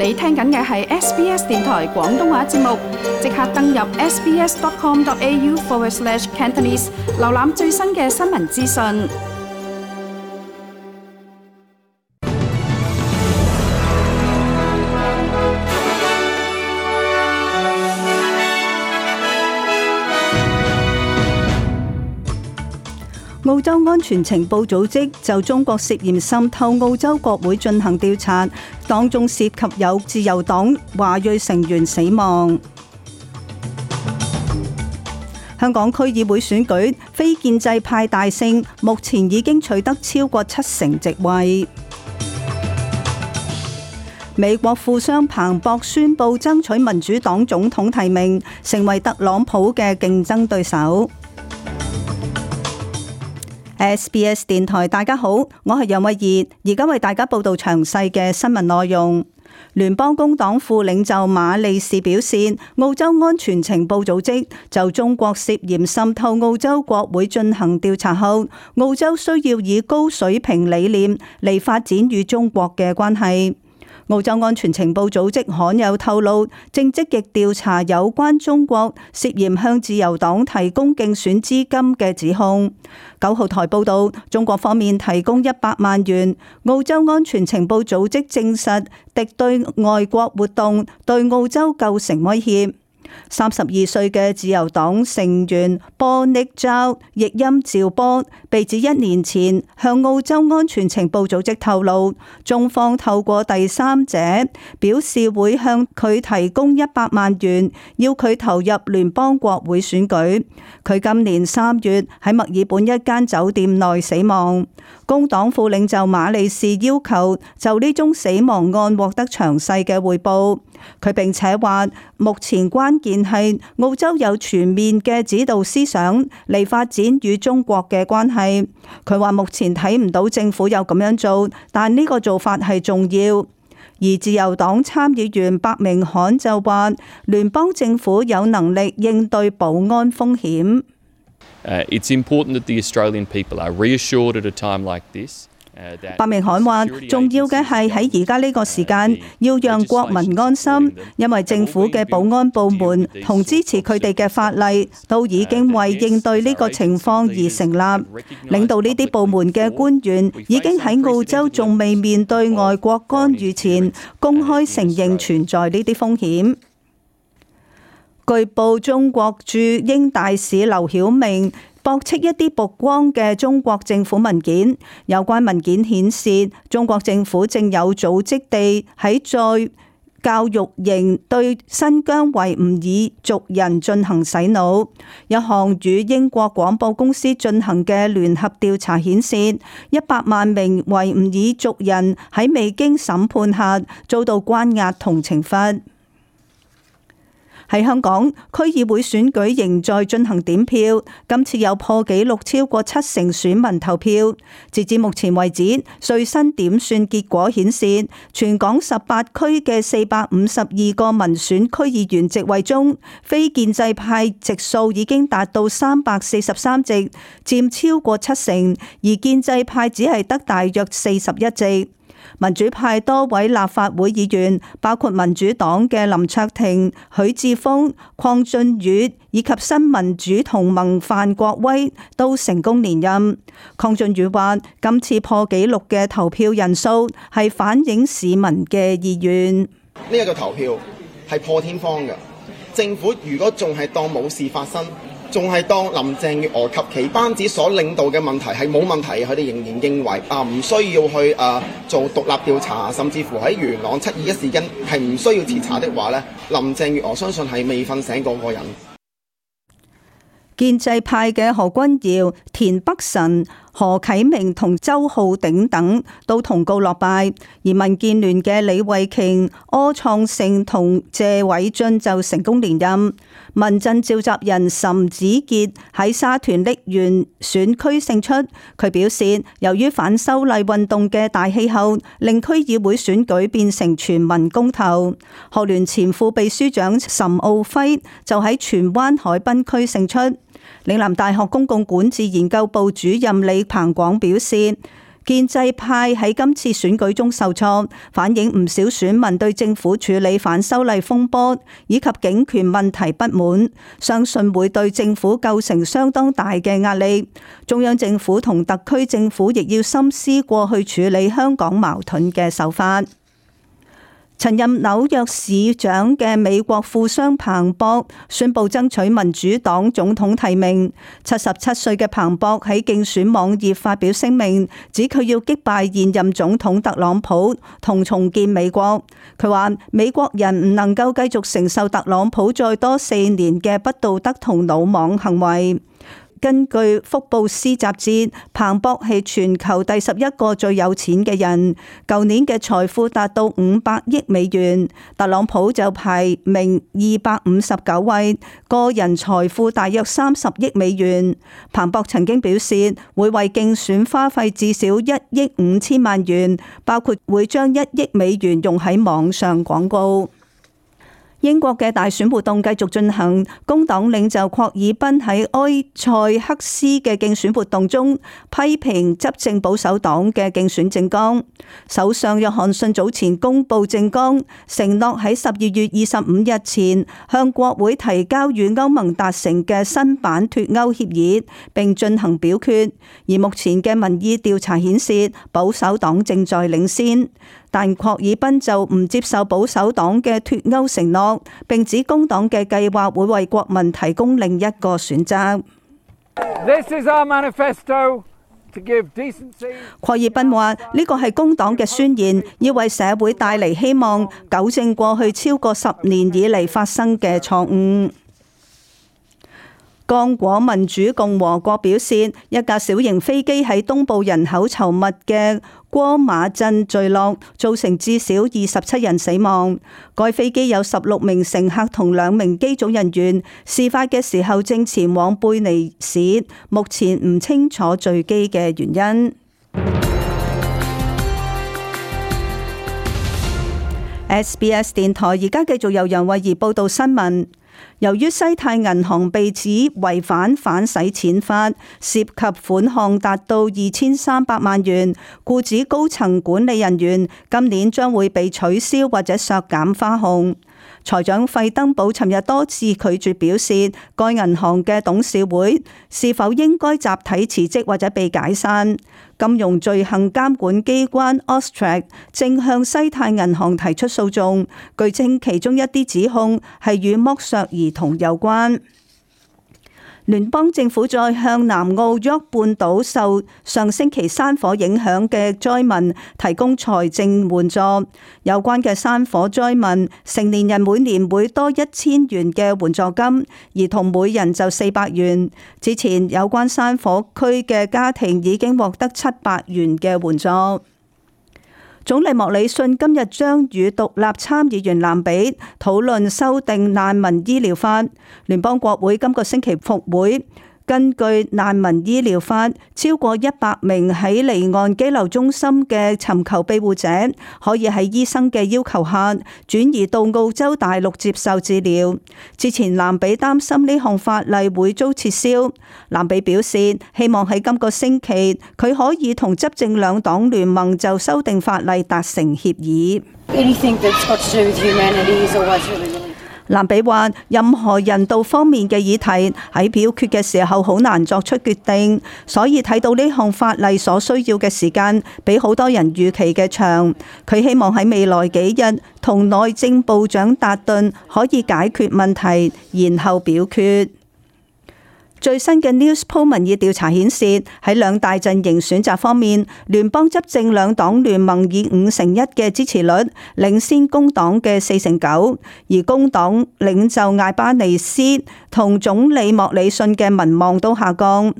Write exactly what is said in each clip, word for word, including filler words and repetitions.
你聽緊嘅係 S B S 電台廣東話節目，即刻登入 sbs.com.au forward slash Cantonese， 瀏覽最新嘅新聞資訊。澳洲安全情報組織就中國涉嫌滲透澳洲國會進行調查，當中涉及有自由黨華裔成員死亡。香港區議會選舉非建制派大勝，目前已經取得超過七成席位。美國富商彭博宣布爭取民主黨總統提名，成為特朗普嘅競爭對手。S B S 電台，大家好，我係楊慧儀，而家為大家報道詳細嘅新聞內容。聯邦工黨副領袖馬利士表示，澳洲安全情報組織就中國涉嫌滲透澳洲國會進行調查後，澳洲需要以高水平理念嚟發展與中國嘅關係。澳洲安全情報組織罕有透露，正積極調查有關中國涉嫌向自由黨提供競選資金嘅指控。九號台報道，中國方面提供一百萬元。澳洲安全情報組織證實，敵對外國活動對澳洲構成威脅。三十二歲嘅自由黨成員波尼焦譯音趙波被指一年前向澳洲安全情報組織透露，中方透過第三者表示會向佢提供一百萬元，要佢投入聯邦國會選舉。佢今年三月喺墨爾本一間酒店內死亡。工黨副領袖馬利士要求就呢宗死亡案獲得詳細嘅匯報。佢並且話，目前關鍵係澳洲有全面嘅指導思想嚟發展與中國嘅關係。佢話目前睇唔到政府有咁樣做，但呢個做法係重要。而自由黨參議員伯明翰就話，聯邦政府有能力應對保安風險。Uh, it's important that the Australian people are reassured at a time like this.伯明翰話，重要嘅係喺而家呢個時間，要讓國民安心，因為政府嘅保安部門同支持佢哋嘅法例都已經為應對呢個情況而成立。領導呢啲部門嘅官員已經喺澳洲仲未面對外國干預前，公開承認存在呢啲風險。據報，中國駐英大使劉曉明駁斥一啲曝光嘅中國政府文件，有關文件顯示，中國政府正有組織地喺再教育營對新疆維吾爾族人進行洗腦。一項與英國廣播公司進行嘅聯合調查顯示，一百萬名維吾爾族人喺未經審判下遭到關押同懲罰。喺香港，區議會選舉仍在進行點票，今次有破紀錄超過七成選民投票。截至目前為止，最新點算結果顯示，全港十八區嘅四百五十二個民選區議員席位中，非建制派席數已經達到三百四十三席，佔超過七成，而建制派只係得大約四十一席。民主派多位立法會議員，包括民主黨嘅林卓廷、許智峰、鄺俊宇以及新民主同盟范國威都成功連任。鄺俊宇話，今次破紀錄嘅投票人數係反映市民嘅意願。呢一個投票係破天荒嘅，政府如果仲係當冇事發生，仲係當林鄭月娥及其班子所領導嘅問題係冇問題，佢哋仍然認為啊唔需要去啊做獨立調查，甚至乎喺元朗七二一事件係唔需要徹查的話呢，林鄭月娥相信係未瞓醒嗰個人。建制派嘅何君堯、田北辰、何啟明同周浩鼎等都同告落敗，而民建聯嘅李慧瓊、柯創盛同謝偉俊就成功連任。民陣召集人岑子傑喺沙田瀝源選區勝出，佢表示，由於反修例運動嘅大氣候，令區議會選舉變成全民公投。學聯前副秘書長岑敖暉就喺荃灣海濱區勝出。嶺南大學公共管治研究部主任李彭廣表示，建制派喺今次選舉中受挫，反映唔少選民對政府處理反修例風波以及警權問題不滿，相信會對政府構成相當大嘅壓力。中央政府同特區政府亦要深思過去處理香港矛盾嘅手法。曾任紐約市長嘅美國富商彭博宣布爭取民主黨總統提名。七十七歲嘅彭博喺競選網頁發表聲明，指佢要擊敗現任總統特朗普同重建美國。佢話美國人唔能夠繼續承受特朗普再多四年嘅不道德同魯莽行為。根據福布斯雜誌，彭博係全球第十一個最有錢嘅人，舊年嘅財富達到五百億美元。特朗普就排名二百五十九位，個人財富大約三十億美元。彭博曾經表示會為競選花費至少一億五千萬元，包括會將一億美元用喺網上廣告。英國嘅大選活動繼續進行，工黨領袖郝爾彬喺埃塞克斯嘅競選活動中批評執政保守黨嘅競選政綱。首相約翰遜早前公布政綱，承諾喺十二月二十五日前向國會提交與歐盟達成嘅新版脫歐協議，並進行表決。而目前嘅民意調查顯示，保守黨正在領先。但郝爾彬就唔接受保守黨嘅脫歐承諾，並指工黨嘅計劃會為國民提供另一個選擇。This is our manifesto to give decency. 郝爾彬話：呢個係工黨嘅宣言，要為社會帶嚟希望，糾正過去超過十年以嚟發生嘅錯誤。剛果民主共和國表示，一架小型飛機喺東部人口稠密嘅戈馬鎮墜落，造成至少二十七人死亡。該飛機有十六名乘客同兩名機組人員，事發嘅時候正前往貝尼市，目前唔清楚墜機嘅原因。S B S 電台而家繼續由楊慧儀報道新聞。由於西太銀行被指違反反洗錢法，涉及款項達到二千三百萬元，故指高層管理人員今年將會被取消或者削減花紅。財長費登堡尋日多次拒絕表示，該銀行嘅董事會是否應該集體辭職或者被解散。金融罪行監管機關 Austrac 正向西太銀行提出訴訟，據稱其中一啲指控係與剝削兒童有關。聯邦政府再向南澳沃半島受上星期山火影響嘅災民提供財政援助。有關嘅山火災民，成年人每年會多一千元嘅援助金，兒童每人就四百元。之前有關山火區嘅家庭已經獲得七百元嘅援助。總理莫里遜今日將與獨立參議員蘭比討論修訂難民醫療法。聯邦國會今個星期復會。根據難民醫療法，超過一百名喺離岸羈留中心嘅尋求庇護者，可以喺醫生嘅要求下轉移到澳洲大陸接受治療。之前蘭比擔心呢項法例會遭撤銷，蘭比表示希望喺今個星期佢可以同執政兩黨聯盟就修訂法例達成協議。蘭比話：任何人道方面嘅議題喺表決嘅時候好難作出決定，所以睇到呢項法例所需要嘅時間比好多人預期嘅長。佢希望喺未來幾日同內政部長達頓可以解決問題，然後表決。最新嘅 Newspoll 民意調查顯示，喺兩大陣營選擇方面，聯邦執政兩黨聯盟以五成一嘅支持率領先工黨嘅四成九，而工黨領袖艾巴尼斯同總理莫里遜嘅民望都下降。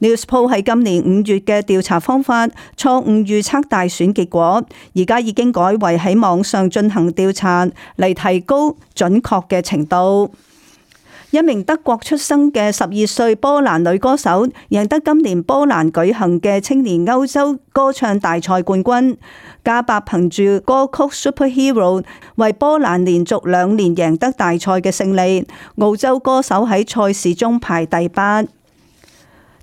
Newspoll 喺今年五月嘅調查方法錯誤預測大選結果，而家已經改為喺網上進行調查嚟提高準確嘅程度。一名德國出生嘅十二歲波蘭女歌手贏得今年波蘭舉行嘅青年歐洲歌唱大賽冠軍。加伯憑住歌曲 Superhero 為波蘭連續兩年贏得大賽嘅勝利。澳洲歌手喺賽事中排第八。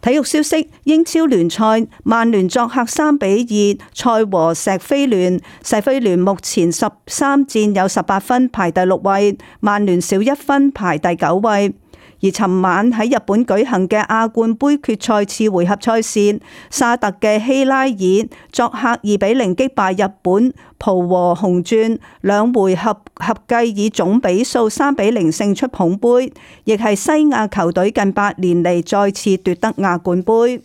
體育消息：英超聯賽，曼聯作客三比二賽和錫菲聯。錫菲聯目前十三戰有十八分，排第六位；曼聯少一分，排第九位。而尋晚喺日本舉行嘅亞冠杯決賽次回合賽事，沙特嘅希拉爾作客二比零擊敗日本浦和紅鑽，兩回合合計以總比數三比零勝出捧杯，亦係西亞球隊近八年嚟再次奪得亞冠杯。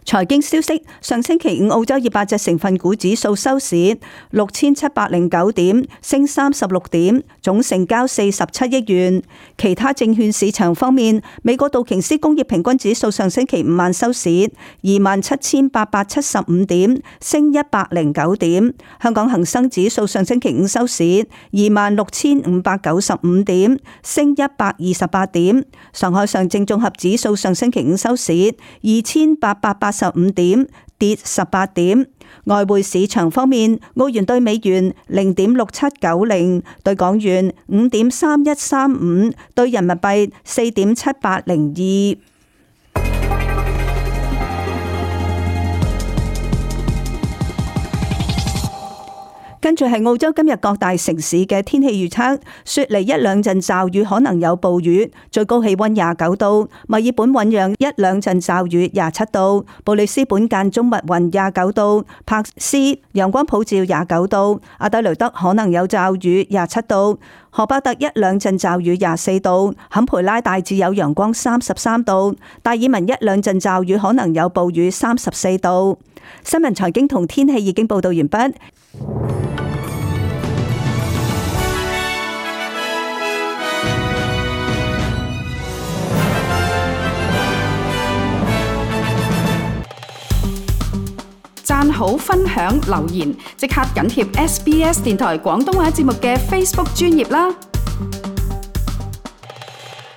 財經消息：上星期五澳洲二百隻成分股指數收市六千七百零九點，升三十六點，總成交四十七億元。其他證券市場方面，美國道瓊斯工業平均指數上星期五晚收市二萬七千八百七十五點，升一百零九點。香港恒生指數上星期五收市二萬六千五百九十五點，升一百二十八點。上海上證綜合指數上星期五收市二千八百八十五點，跌十八點。外匯市場方面，澳元兌美元零點六七九零，兌港元五點三一三五，兌人民幣四點七八零二。跟住係澳洲今日各大城市嘅天氣預測：雪梨一兩陣驟雨，可能有暴雨，最高氣溫廿九度；墨爾本醞釀一兩陣驟雨，廿七度；布里斯本間中密雲，廿九度；柏斯陽光普照，廿九度；阿德雷德可能有驟雨，廿七度；荷巴特一兩陣驟雨，廿四度；坎培拉大致有陽光，三十三度；達爾文一兩陣驟雨，可能有暴雨，三十四度。新聞財經同天氣已經報道完畢。讚好、分享、留言，即刻緊貼 S B S 電台廣東話節目嘅 Facebook 專頁啦！